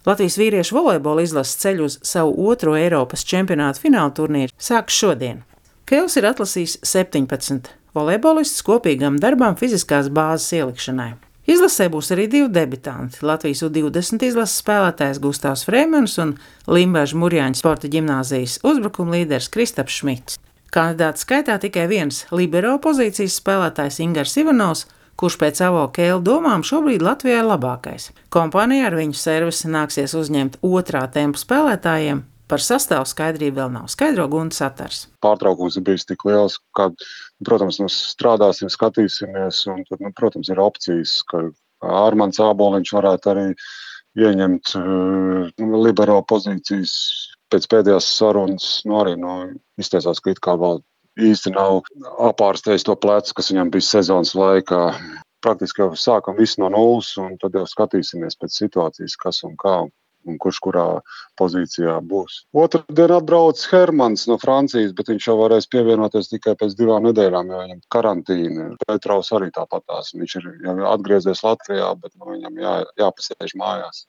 Latvijas vīriešu volejbola izlases ceļu uz savu otro Eiropas čempionāta fināla turnīru sāks šodien. Kēls ir atlasījis 17 volejbolistus kopīgam darbam fiziskās bāzes ielikšanai. Izlasē būs arī 2 debitanti - Latvijas U20 izlases spēlētājs Gustavs Frēmens un Limbažu Murjāņu sporta ģimnāzijas uzbrukuma līderis Kristaps Šmits. Kandidātu skaitā tikai viens libero pozīcijas spēlētājs Ingars Ivanovs, kurš pēc Avo Kēla domām šobrīd Latvijā ir labākais. Kompānijā ar viņu servisi nāksies uzņemt otrā tempa spēlētājiem. Par sastāvu skaidrību vēl nav, skaidro Gunta Satars. Pārtraukums ir bijis tik liels, ka, protams, mēs strādāsim, skatīsimies, un tad, protams, ir opcijas, ka Armands Āboliņš varētu arī ieņemt libero pozīcijas pēc pēdējās sarunas, arī izteicās, ka it kā vēl īsti nav apārstējis to plecu, kas viņam bija sezonas laikā. Praktiski jau sākam visu no nulles, un tad jau skatīsimies pēc situācijas, kas un kā, un kurš kurā pozīcijā būs. Otradien atbrauc Hermans no Francijas, bet viņš jau varēs pievienoties tikai pēc 2 nedēļām, jo viņam karantīna. Petrovs arī tāpatās. Viņš ir jau atgriezies Latvijā, bet viņam jāpasēž mājās.